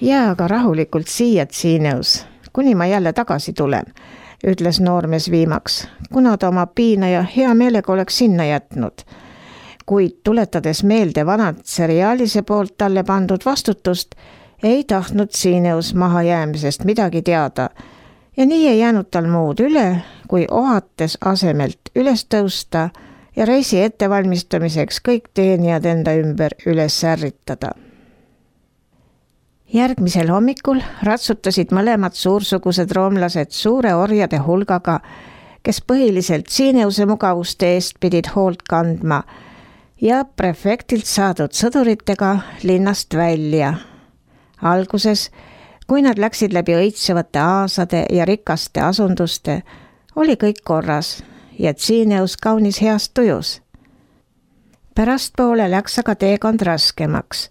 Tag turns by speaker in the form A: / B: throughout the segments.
A: Jää aga rahulikult siia Tsiineus, kuni ma jälle tagasi tulen, ütles noormees viimaks, kuna ta oma piinaja hea meelega oleks sinna jätnud. Kuid tuletades meelde vanad seriaalise poolt talle pandud vastutust, ei tahtnud Tsiineus mahajäämisest midagi teada ja nii ei jäänud tal muud üle, kui ohates asemelt üles tõusta ja reisi ettevalmistamiseks kõik teenijad enda ümber üles ärritada. Järgmisel hommikul ratsutasid mõlemad suursugused roomlased suure orjade hulgaga, kes põhiliselt Tsiineuse mugavuste eest pidid hoolt kandma ja prefektilt saadud sõduritega linnast välja. Alguses, kui nad läksid läbi õitsevate aasade ja rikaste asunduste, oli kõik korras ja Tsiineus kaunis heas tujus. Pärastpoole läks aga teekond raskemaks.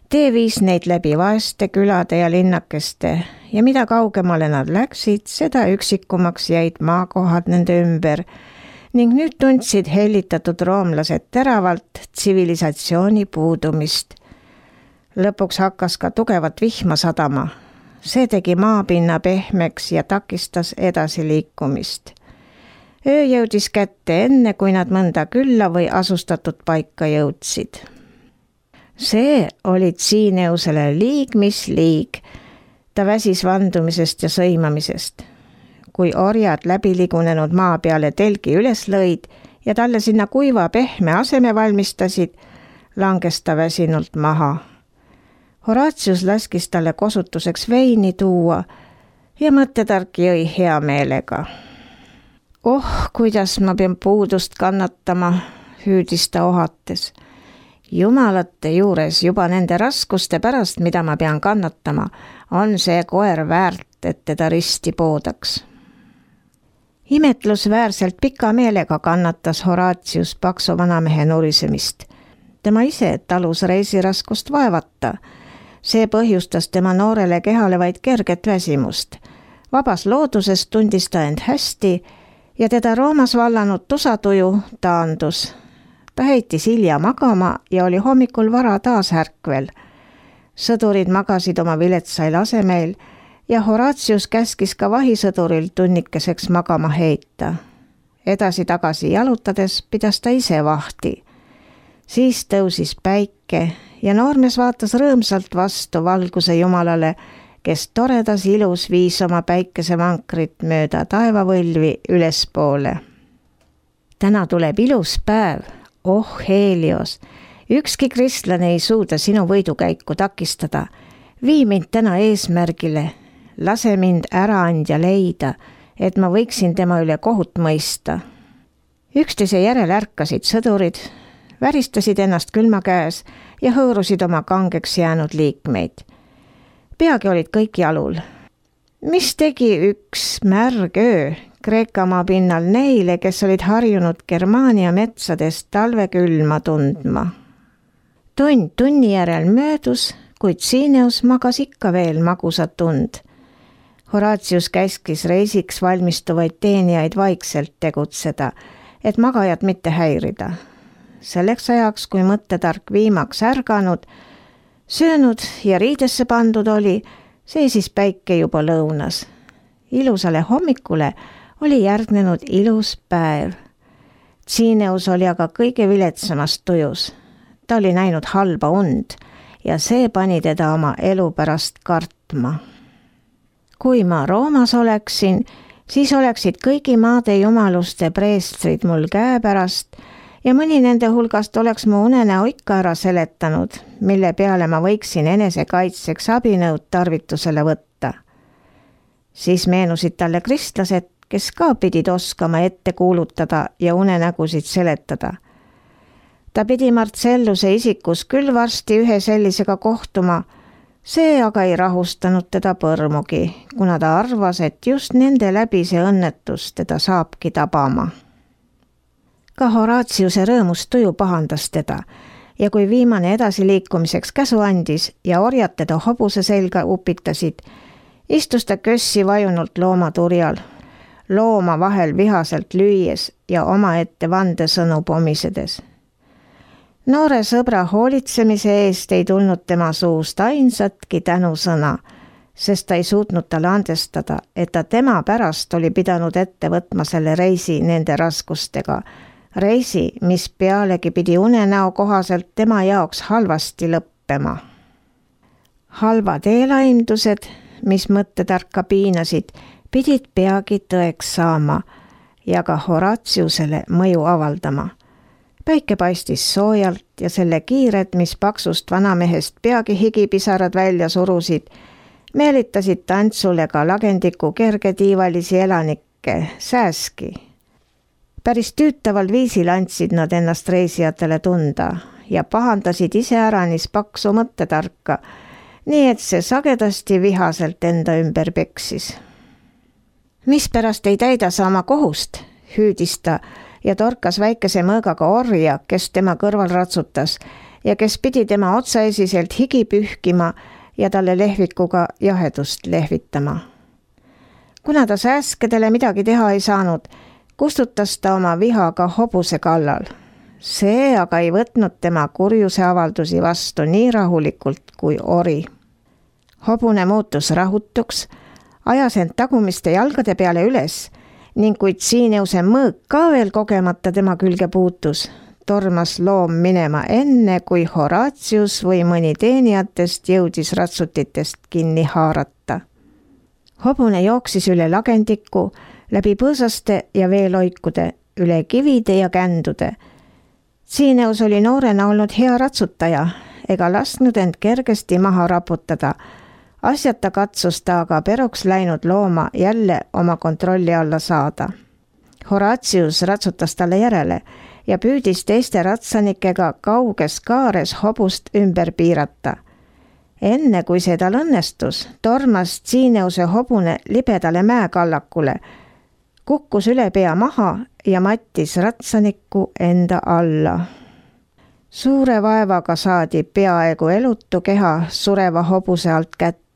A: Tee viis neid läbi vaeste külade ja linnakeste ja mida kaugemale nad läksid, seda üksikumaks jäid maakohad nende ümber ning nüüd tundsid hellitatud roomlased teravalt tsivilisatsiooni puudumist. Lõpuks hakkas ka tugevat vihma sadama. See tegi maapinna pehmeks ja takistas edasi liikumist. Öö jõudis kätte enne, kui nad mõnda külla või asustatud paika jõudsid. See oli Tsiineusele liig mis liig. Ta väsis vandumisest ja sõimamisest. Kui orjad läbiligunenud maa peale telgi üles lõid ja talle sinna kuiva pehme aseme valmistasid, langes ta väsinult maha. Horatius laskis talle kosutuseks veini tuua ja mõttetark jõi hea meelega. Kuidas ma pean puudust kannatama, hüüdis ta ohates. Jumalate juures juba nende raskuste pärast, mida ma pean kannatama, on see koer väärt, et teda risti poodaks. Imetlusväärselt pika meelega kannatas Horatius paksu vanamehe nurisemist. Tema ise talus reisiraskust vaevata. See põhjustas tema noorele kehale vaid kerget väsimust. Vabas looduses tundis ta end hästi ja teda Roomas vallanud tusatuju taandus. Ta heitis hilja magama ja oli hommikul vara taas ärkvel. Sõdurid magasid oma viletsail asemeil ja Horatius käskis ka vahisõduril tunnikeseks magama heita. Edasi-tagasi jalutades pidas ta ise vahti. Siis tõusis päike ja noormees vaatas rõõmsalt vastu valguse jumalale, kes toredas ilus viis oma päikesemankrit mööda taevavõlvi ülespoole. Täna tuleb ilus päev. Helios, ükski kristlane ei suuda sinu võidukäiku takistada. Vii mind täna eesmärgile. Lase mind äraandja leida, et ma võiksin tema üle kohut mõista. Üksteise järel ärkasid sõdurid, väristasid ennast külma käes ja hõõrusid oma kangeks jäänud liikmeid. Peagi olid kõik jalul. Mis tegi üks märg öö Kreekamaa pinnal neile, kes olid harjunud Germaania metsades talvekülma tundma? Tund tunni järel möödus, kuid Tsiineus magas ikka veel magusat tund. Horatius käskis reisiks valmistuvaid teenijaid vaikselt tegutseda, et magajat mitte häirida. Selleks ajaks, kui mõttetark viimaks ärganud, söönud ja riidesse pandud oli, seisis päike juba lõunas. Ilusale hommikule oli järgnenud ilus päev. Tsiineus oli aga kõige viletsamast tujus. Ta oli näinud halba und ja see pani teda oma elu pärast kartma. Kui ma Roomas oleksin, siis oleksid kõigi maade jumaluste preestrid mul käepärast ja mõni nende hulgast oleks mu unenäo ikka ära seletanud, mille peale ma võiksin enesekaitseks abinõud tarvitusele võtta. Siis meenusid talle kristlased, kes ka pidid oskama ette kuulutada ja unenägusid seletada. Ta pidi Marcelluse isikus küll varsti ühe sellisega kohtuma, see aga ei rahustanud teda põrmugi, kuna ta arvas, et just nende läbi see õnnetus teda saabki tabama. Ka Horatiuse rõõmust tuju pahandas teda ja kui viimane edasiliikumiseks käsu andis ja orjad teda hobuse selga upitasid, istus ta kössi vajunult loomaturjal, looma vahel vihaselt lüües ja omaette vandesõnu pomisedes. Noore sõbra hoolitsemise eest ei tulnud tema suust ainsatki tänusõna, sest ta ei suutnud talle andestada, et ta tema pärast oli pidanud ette võtma selle reisi nende raskustega. Reisi, mis pealegi pidi unenäo kohaselt tema jaoks halvasti lõppema. Halvad eelaimdused, mis mõttetarka piinasid, pidid peagi tõeks saama ja ka Horatiusele mõju avaldama. Päike paistis soojalt ja selle kiired, mis paksust vanamehest peagi higipisarad välja surusid, meelitasid tantsule ka lagendiku kergetiivalisi elanikke, sääski. Päris tüütaval viisil andsid nad ennast reisijatele tunda ja pahandasid iseäranis paksu mõttetarka, nii et see sagedasti vihaselt enda ümber peksis. Mispärast ei täida sa oma kohust, hüüdis ta ja torkas väikese mõõgaga orja, kes tema kõrval ratsutas ja kes pidi tema otsaesiselt higi pühkima ja talle lehvikuga jahedust lehvitama. Kuna ta sääskedele midagi teha ei saanud, kustutas ta oma viha ka hobuse kallal. See aga ei võtnud tema kurjuse avaldusi vastu nii rahulikult kui ori. Hobune muutus rahutuks, ajas end tagumiste jalgade peale üles ning kui Tsiineuse mõõg ka veel kogemata tema külge puutus, tormas loom minema enne, kui Horatius või mõni teenijatest jõudis ratsutitest kinni haarata. Hobune jooksis üle lagendiku, läbi põõsaste ja veeloikude, üle kivide ja kändude. Tsiineus oli noorena olnud hea ratsutaja ega lasknud end kergesti maha raputada. Asjata katsus ta aga peroks läinud looma jälle oma kontrolli alla saada. Horatius ratsutas talle järele ja püüdis teiste ratsanikega kauges kaares hobust ümber piirata. Enne kui see tal õnnestus, tormas Tsiineuse hobune libedale mäekallakule, kukkus üle pea maha ja mattis ratsanikku enda alla. Suure vaevaga saadi peaaegu elutu keha sureva hobuse alt kätte.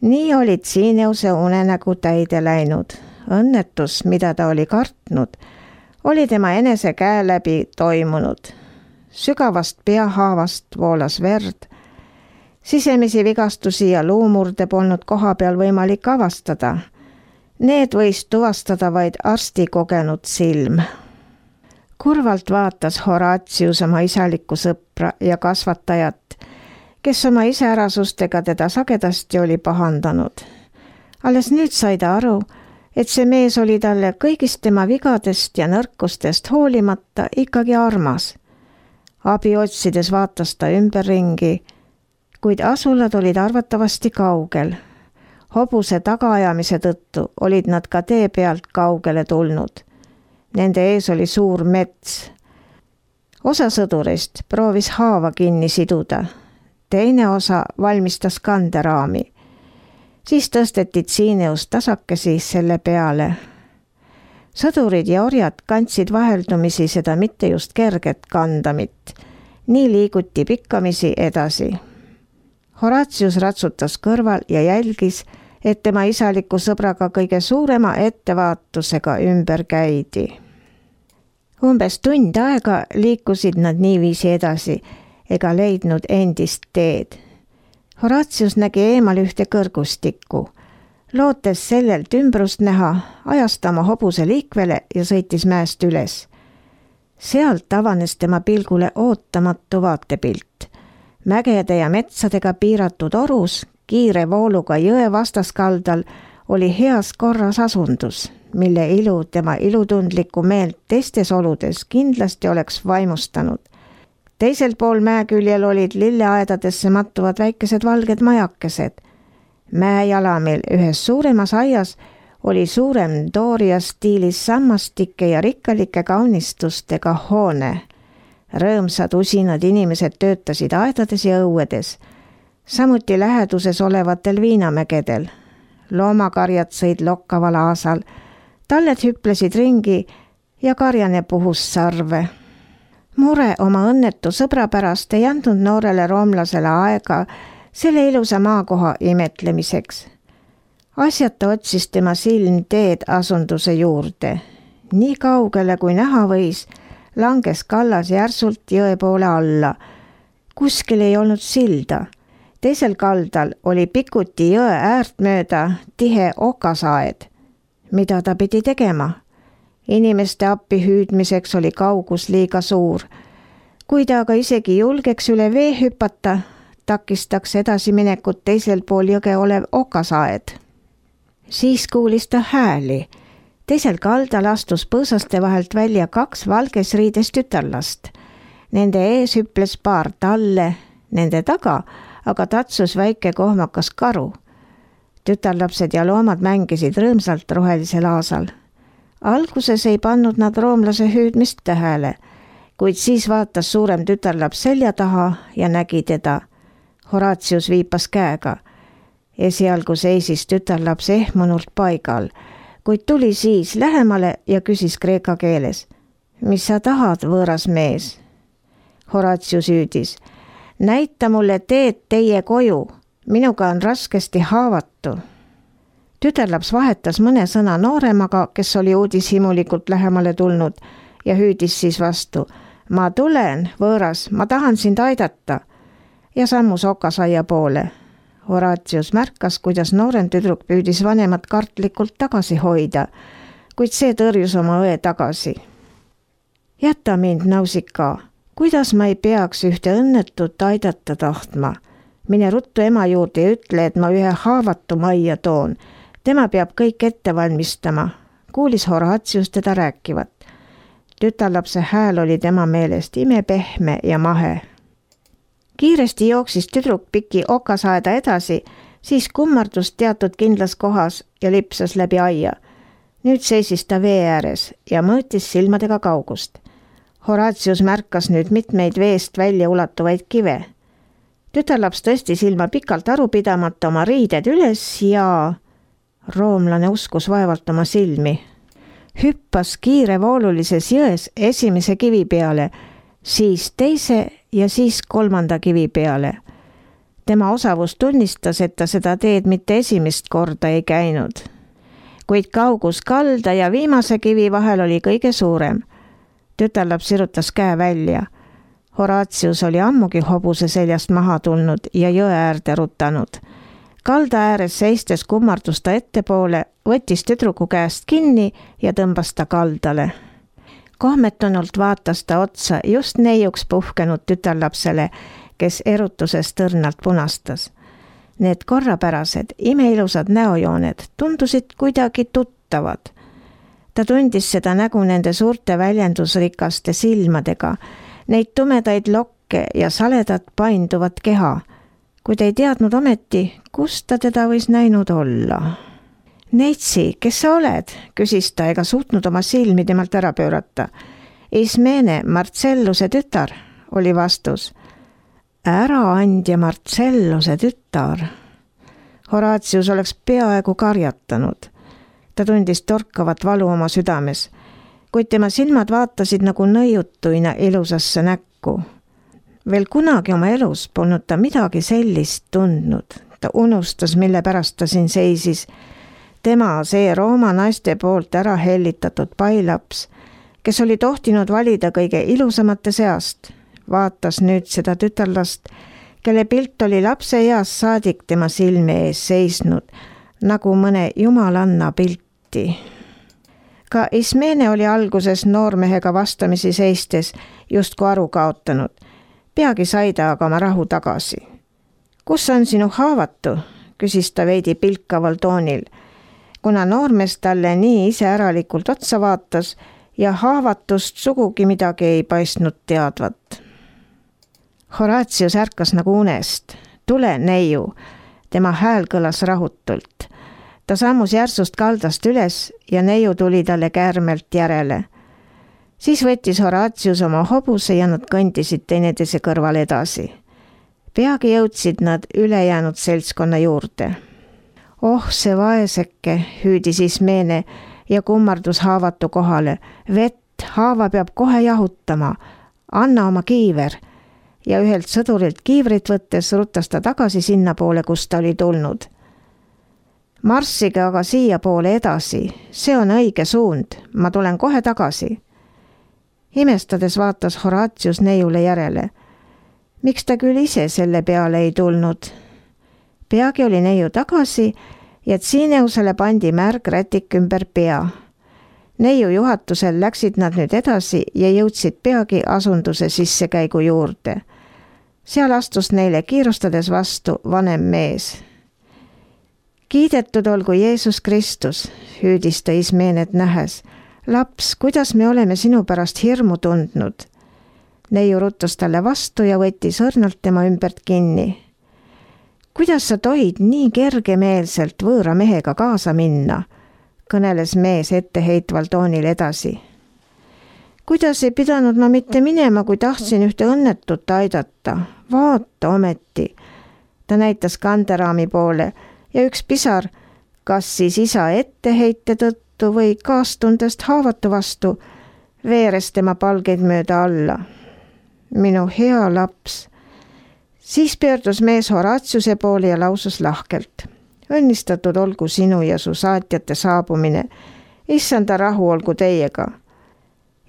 A: Nii oli Tsiineuse unenägu täide läinud. Õnnetus, mida ta oli kartnud, oli tema enese käe läbi toimunud. Sügavast peahaavast voolas verd. Sisemisi vigastusi ja luumurde polnud koha peal võimalik avastada. Need võis tuvastada vaid arsti kogenud silm. Kurvalt vaatas Horatius oma isalikku sõpra ja kasvatajat, kes oma iseärasustega teda sagedasti oli pahandanud. Alles nüüd sai ta aru, et see mees oli talle kõigist tema vigadest ja nõrkustest hoolimata ikkagi armas. Abi otsides vaatas ta ümberringi, kuid asulad olid arvatavasti kaugel. Hobuse tagaajamise tõttu olid nad ka tee pealt kaugele tulnud. Nende ees oli suur mets. Osa sõdurist proovis haava kinni siduda. Teine osa valmistas kanderaami. Siis tõsteti Tsiineus tasakesi selle peale. Sõdurid ja orjad kandsid vaheldumisi seda mitte just kerget kandamit. Nii liiguti pikkamisi edasi. Horatius ratsutas kõrval ja jälgis, et tema isaliku sõbraga kõige suurema ettevaatusega ümber käidi. Umbes tund aega liikusid nad niiviisi edasi ega leidnud endist teed. Horatius nägi eemal ühte kõrgustikku. Lootes sellelt ümbrust näha, ajas ta oma hobuse liikvele ja sõitis mäest üles. Sealt avanes tema pilgule ootamatu vaatepilt. Mägede ja metsadega piiratud orus, kiire vooluga jõe vastaskaldal oli heas korras asundus, mille ilu tema ilutundlikku meelt teistes oludes kindlasti oleks vaimustanud. Teisel pool mäeküljel olid lilleaedadesse mattuvad väikesed valged majakesed. Mäejalamil ühes suuremas aias oli suurem Dooria stiilis sammastike ja rikkalike kaunistustega hoone. Rõõmsad usinad inimesed töötasid aedades ja õuedes, samuti läheduses olevatel viinamägedel. Loomakarjad sõid lokkaval aasal, talled hüplesid ringi ja karjane puhus sarve. Mure oma õnnetu sõbra pärast ei andnud noorele roomlasele aega selle ilusa maakoha imetlemiseks. Asjata otsis tema silm teed asunduse juurde. Nii kaugele kui näha võis, langes kallas järsult jõe poole alla. Kuskil ei olnud silda. Teisel kaldal oli pikuti jõe äärt mööda tihe okasaed. Mida ta pidi tegema? Inimeste appi hüüdmiseks oli kaugus liiga suur. Kui ta aga isegi julgeks üle vee hüpata, takistaks edasiminekut teisel pool jõge olev okasaed. Siis kuulis ta hääli. Teisel kaldal astus põõsaste vahelt välja 2 valges riides tütarlast. Nende ees hüples paar talle, nende taga aga tatsus väike kohmakas karu. Tütarlapsed ja loomad mängisid rõõmsalt rohelisel aasal. Alguses ei pannud nad roomlase hüüdmist tähele, kuid siis vaatas suurem tütarlaps selja taha ja nägi teda. Horatius viipas käega. Esialgu seisis tütarlaps ehmunult paigal, kuid tuli siis lähemale ja küsis kreeka keeles. Mis sa tahad, võõras mees? Horatius hüüdis. Näita mulle teed teie koju. Minuga on raskesti haavatu. Tütarlaps vahetas mõne sõna nooremaga, kes oli uudishimulikult lähemale tulnud ja hüüdis siis vastu. Ma tulen, võõras, ma tahan sind aidata. Ja sammus okasaia poole. Horatius märkas, kuidas noorem tüdruk püüdis vanemat kartlikult tagasi hoida, kuid see tõrjus oma õe tagasi. Jäta mind, nausika, kuidas ma ei peaks ühte õnnetut aidata tahtma? Mine ruttu ema juurde ja ütle, et ma ühe haavatu majja toon. Tema peab kõik ette valmistama. Kuulis Horatius teda rääkivat. Tütarlapse hääl oli tema meelest imepehme ja mahe. Kiiresti jooksis tüdruk piki okasaeda edasi, siis kummardus teatud kindlas kohas ja lipsas läbi aia. Nüüd seisis ta vee ääres ja mõõtis silmadega kaugust. Horatius märkas nüüd mitmeid veest välja ulatuvaid kive. Tütarlaps tõstis ilma pikalt arupidamata oma riided üles ja roomlane uskus vaevalt oma silmi. Hüppas kiirevoolulises jões esimese kivi peale, siis teise ja siis 3. kivi peale. Tema osavus tunnistas, et ta seda teed mitte esimest korda ei käinud. Kuid kaugus kalda ja viimase kivi vahel oli kõige suurem. Tütarlaps sirutas käe välja. Horatius oli ammugi hobuse seljast maha tulnud ja jõe äärde rutanud. Kalda ääres seistes kummardus ta ettepoole, võttis tüdruku käest kinni ja tõmbas ta kaldale. Kohmetunult vaatas ta otsa just neiuks puhkenud tütarlapsele, kes erutuses tõrnalt punastas. Need korrapärased, imeilusad näojooned tundusid kuidagi tuttavad. Ta tundis seda nägu nende suurte väljendusrikaste silmadega, neid tumedaid lokke ja saledat painduvat keha, kuid ei teadnud ometi, kus ta teda võis näinud olla. Neitsi, kes sa oled? Küsis ta ega suutnud oma silmi temalt ära pöörata. Ismene, Marcelluse tütar, oli vastus. Äraandja Marcelluse tütar. Horatius oleks peaaegu karjatanud. Ta tundis torkavat valu oma südames, kuid tema silmad vaatasid nagu nõiutuina ilusasse näkku. Veel kunagi oma elus polnud ta midagi sellist tundnud. Ta unustas, mille pärast ta siin seisis. Tema, see Rooma naiste poolt ära hellitatud pailaps, kes oli tohtinud valida kõige ilusamate seast, vaatas nüüd seda tütarlast, kelle pilt oli lapse eas saadik tema silme ees seisnud, nagu mõne jumalanna pilti. Ka Ismene oli alguses noormehega vastamisi seistes justku aru kaotanud. Peagi sai ta aga oma rahu tagasi. Kus on sinu haavatu? Küsis ta veidi pilkaval toonil, kuna noormees talle nii iseäralikult otsa vaatas ja haavatust sugugi midagi ei paistnud teadvat. Horatius ärkas nagu unest. Tule, neiu. Tema hääl kõlas rahutult. Ta sammus järsust kaldast üles ja neiu tuli talle käärmelt järele. Siis võttis Horatius oma hobuse ja nad kõndisid teineteise kõrval edasi. Peagi jõudsid nad ülejäänud seltskonna juurde. Oh, see vaeseke, hüüdis Ismene ja kummardus haavatu kohale. Vett, haava peab kohe jahutama. Anna oma kiiver. Ja ühelt sõdurilt kiivrit võttes rutas ta tagasi sinna poole, kus ta oli tulnud. Marssige aga siia poole edasi. See on õige suund. Ma tulen kohe tagasi. Imestades vaatas Horatius neiule järele. Miks ta küll ise selle peale ei tulnud? Peagi oli neiu tagasi ja Tsineusele pandi märg rätik ümber pea. Neiu juhatusel läksid nad nüüd edasi ja jõudsid peagi asunduse sissekäigu juurde. Seal astus neile kiirustades vastu vanem mees. Kiidetud olgu Jeesus Kristus, hüüdis ta Ismeenet nähes. Laps, kuidas me oleme sinu pärast hirmu tundnud? Neiu ruttus talle vastu ja võttis õrnalt tema ümbert kinni. Kuidas sa tohid nii kergemeelselt võõra mehega kaasa minna? Kõneles mees etteheitval toonil edasi. Kuidas ei pidanud ma mitte minema, kui tahtsin ühte õnnetut aidata? Vaata ometi. Ta näitas kanderaami poole ja üks pisar, kas siis isa etteheite tõttu või kaastundest haavatu vastu, veeres tema palgeid mööda alla. Minu hea laps. Siis pöördus mees Horatiuse poole ja lausus lahkelt. Õnnistatud olgu sinu ja su saatjate saabumine. Issanda rahu olgu teiega.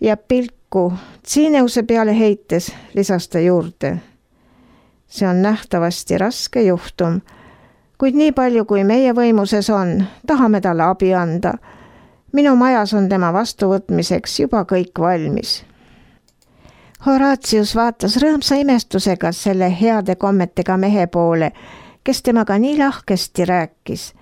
A: Ja pilku Tsineuse peale heites lisas ta juurde. See on nähtavasti raske juhtum, kuid nii palju kui meie võimuses on, tahame talle abi anda. Minu majas on tema vastuvõtmiseks juba kõik valmis. Horatius vaatas rõõmsa imestusega selle heade kommetega mehe poole, kes temaga nii lahkesti rääkis.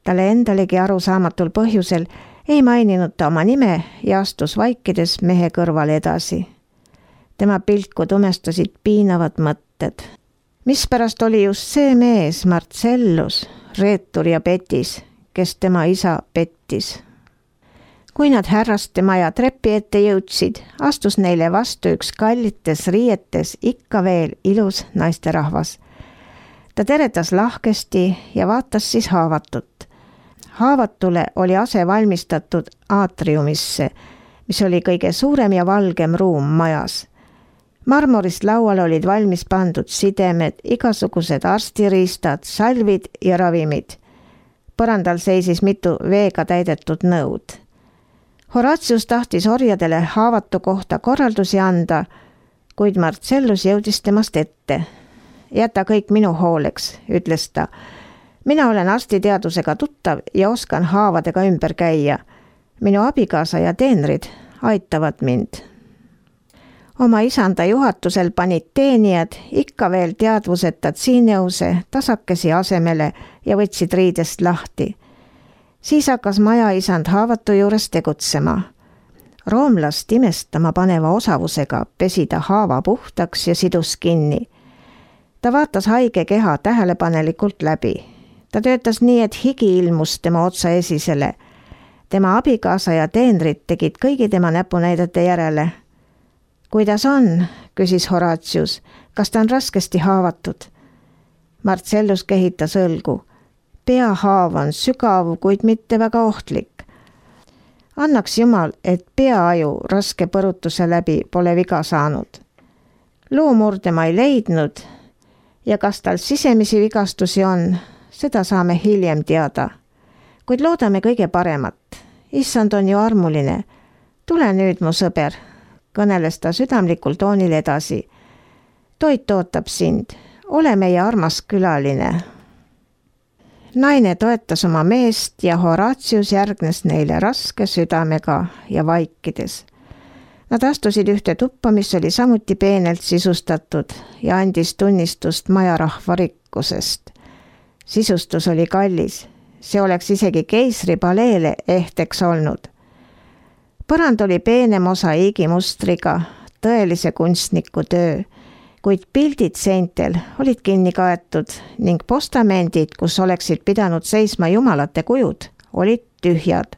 A: Talle endalegi arusaamatul põhjusel ei maininud ta oma nime ja astus vaikides mehe kõrval edasi. Tema pilku tumestasid piinavad mõtted. Mispärast oli just see mees, Marcellus, reetur ja petis, kes tema isa pettis. Kui nad härraste maja trepi ette jõudsid, astus neile vastu üks kallites riietes ikka veel ilus naisterahvas. Ta teretas lahkesti ja vaatas siis haavatut. Haavatule oli ase valmistatud aatriumisse, mis oli kõige suurem ja valgem ruum majas. Marmorist laual olid valmis pandud sidemed, igasugused arstiriistad, salvid ja ravimid. Põrandal seisis mitu veega täidetud nõud. Horatius tahtis orjadele haavatu kohta korraldusi anda, kuid Marcellus jõudis temast ette. Jäta kõik minu hooleks, ütles ta. Mina olen arstiteadusega tuttav ja oskan haavadega ümber käia. Minu abikaasa ja teenrid aitavad mind. Oma isanda juhatusel panid teenijad ikka veel teadvuseta Tsineuse tasakesi asemele ja võtsid riidest lahti. Siis hakkas maja isand haavatu juures tegutsema. Roomlast imestama paneva osavusega pesi ta haava puhtaks ja sidus kinni. Ta vaatas haige keha tähelepanelikult läbi. Ta töötas nii, et higi ilmus tema otsa esisele. Tema abikaasa ja teenrid tegid kõigi tema näpunäidete järele. Kuidas on, küsis Horatius, kas ta on raskesti haavatud? Marcellus kehitas õlgu. Peahaav on sügav, kuid mitte väga ohtlik. Annaks Jumal, et peaaju raske põrutuse läbi pole viga saanud. Luumurde ma ei leidnud ja kas tal sisemisi vigastusi on, seda saame hiljem teada. Kuid loodame kõige paremat. Issand on ju armuline. Tule nüüd, mu sõber, kõneles ta südamlikul toonil edasi. Toit ootab sind. Ole meie armas külaline. Naine toetas oma meest ja Horatius järgnes neile raske südamega ja vaikides. Nad astusid ühte tuppa, mis oli samuti peenelt sisustatud ja andis tunnistust majarahva rikkusest. Sisustus oli kallis. See oleks isegi keisri paleele ehteks olnud. Põrand oli peenem osaiigimustriga, tõelise kunstniku töö, kuid pildid seintel olid kinni kaetud ning postamendid, kus oleksid pidanud seisma jumalate kujud, olid tühjad.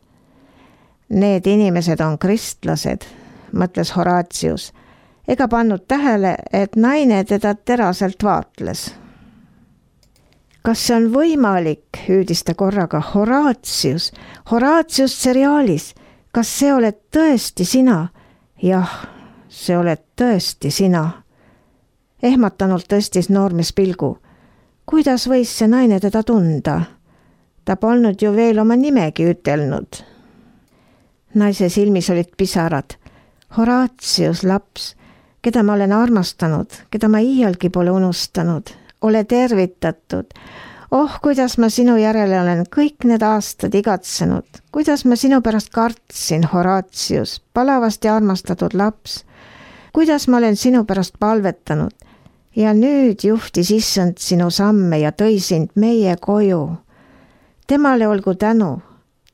A: Need inimesed on kristlased, mõtles Horatius, ega pannud tähele, et naine teda teraselt vaatles. Kas see on võimalik, hüüdis ta korraga, Horatius seriaalis, kas see oled tõesti sina? Jah, see oled tõesti sina. Ehmatanult tõstis noormees pilgu. Kuidas võis see naine teda tunda? Ta polnud ju veel oma nimegi ütelnud. Naise silmis olid pisarad. Horatius, laps, keda ma olen armastanud, keda ma iialgi pole unustanud, ole tervitatud. Oh, kuidas ma sinu järele olen kõik need aastad igatsenud, kuidas ma sinu pärast kartsin, Horatius, palavasti armastatud laps, kuidas ma olen sinu pärast palvetanud ja nüüd juhtis issand sinu samme ja tõi sind meie koju. Temale olgu tänu,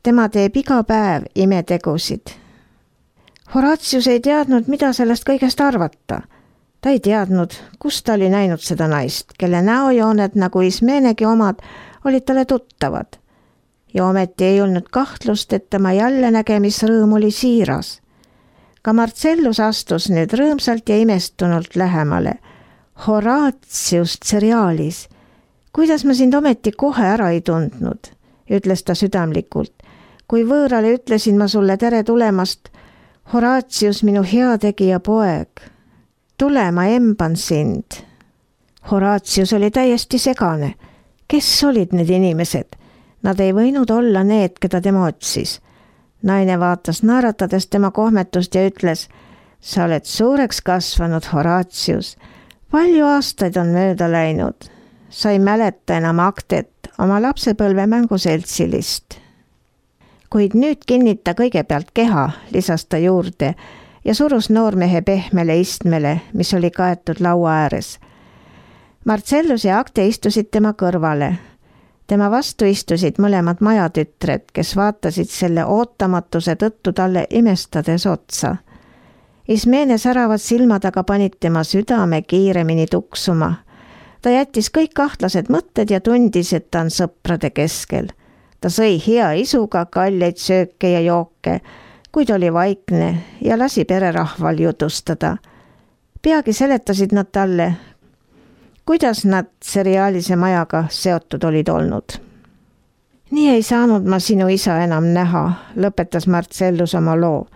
A: tema teeb iga päev imetegusid. Horatius ei teadnud, mida sellest kõigest arvata. Ta ei teadnud, kus ta oli näinud seda naist, kelle näojooned nagu Ismenegi omad olid talle tuttavad. Ja ometi ei olnud kahtlust, et tema jälle nägemisrõõm oli siiras. Ka Marcellus astus nüüd rõõmsalt ja imestunult lähemale. Horatius Cerialis, kuidas ma sind ometi kohe ära ei tundnud, ütles ta südamlikult. Kui võõrale ütlesin ma sulle tere tulemast, Horatius, minu heategija poeg, tule, ma emban sind. Horatius oli täiesti segane. Kes olid need inimesed? Nad ei võinud olla need, keda tema otsis. Naine vaatas naeratades tema kohmetust ja ütles, sa oled suureks kasvanud, Horatius. Palju aastaid on mööda läinud. Sa ei mäleta enam Aktet, oma lapsepõlve mänguseltsilist. Kuid nüüd kinnita kõigepealt keha, lisas ta juurde ja surus noormehe pehmele istmele, mis oli kaetud laua ääres. Marcellus ja Akte istusid tema kõrvale. Tema vastu istusid mõlemad majatütred, kes vaatasid selle ootamatuse tõttu talle imestades otsa. Ismene säravad silmad aga panid tema südame kiiremini tuksuma. Ta jättis kõik kahtlased mõtted ja tundis, et ta on sõprade keskel. Ta sõi hea isuga kalleid sööke ja jooke, kuid oli vaikne ja lasi pererahval jutustada. Peagi seletasid nad talle, kuidas nad Cerialise majaga seotud olid olnud. Nii ei saanud ma sinu isa enam näha, lõpetas Marcellus oma loo.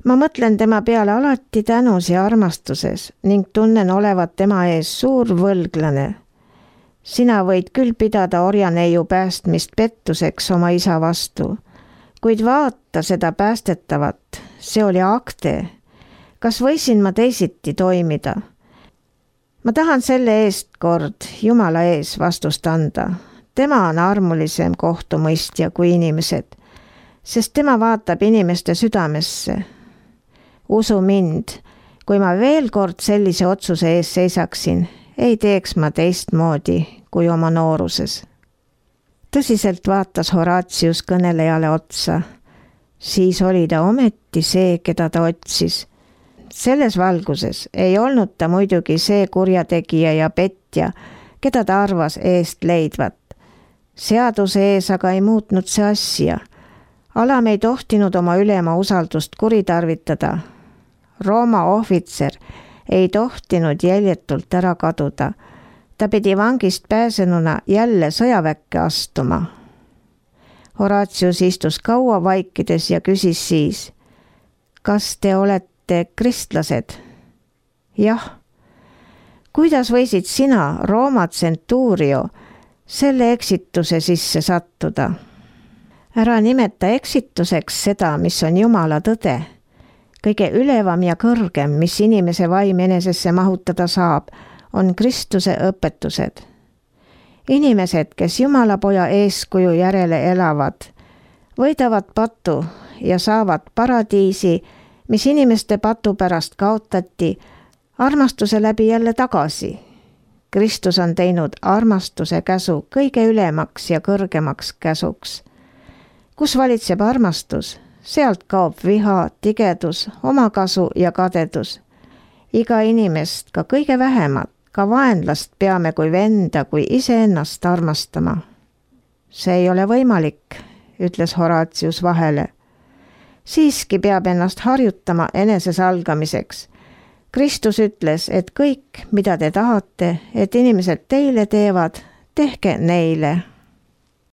A: Ma mõtlen tema peale alati tänus ja armastuses ning tunnen olevat tema ees suur võlglane. Sina võid küll pidada orjaneiu päästmist pettuseks oma isa vastu, kuid vaata seda päästetavat, see oli Akte. Kas võisin ma teisiti toimida? Ma tahan selle eest kord Jumala ees vastust anda. Tema on armulisem kohtumõistja kui inimesed, sest tema vaatab inimeste südamesse. Usu mind, kui ma veel kord sellise otsuse ees seisaksin, ei teeks ma teistmoodi kui oma nooruses. Tõsiselt vaatas Horatius kõnelejale otsa. Siis oli ta ometi see, keda ta otsis. Selles valguses ei olnud ta muidugi see kurjategija ja petja, keda ta arvas eest leidvat. Seaduse ees aga ei muutnud see asja. Alam ei tohtinud oma ülema usaldust kuritarvitada. Rooma ohvitser ei tohtinud jäljetult ära kaduda. Ta pidi vangist pääsenuna jälle sõjaväkke astuma. Horatius istus kaua vaikides ja küsis siis, kas te olete kristlased? Jah. Kuidas võisid sina, Rooma tsentuurio, selle eksituse sisse sattuda? Ära nimeta eksituseks seda, mis on Jumala tõde. Kõige ülevam ja kõrgem, mis inimese vaim enesesse mahutada saab, on Kristuse õpetused. Inimesed, kes Jumala poja eeskuju järele elavad, võidavad patu ja saavad paradiisi, mis inimeste patu pärast kaotati, armastuse läbi jälle tagasi. Kristus on teinud armastuse käsu kõige ülemaks ja kõrgemaks käsuks. Kus valitseb armastus, sealt kaob viha, tigedus, omakasu ja kadedus. Iga inimest, ka kõige vähemat, ka vaenlast peame kui venda, kui iseennast armastama. See ei ole võimalik, ütles Horatius vahele. Siiski peab ennast harjutama enesesalgamiseks. Kristus ütles, et kõik, mida te tahate, et inimesed teile teevad, tehke neile.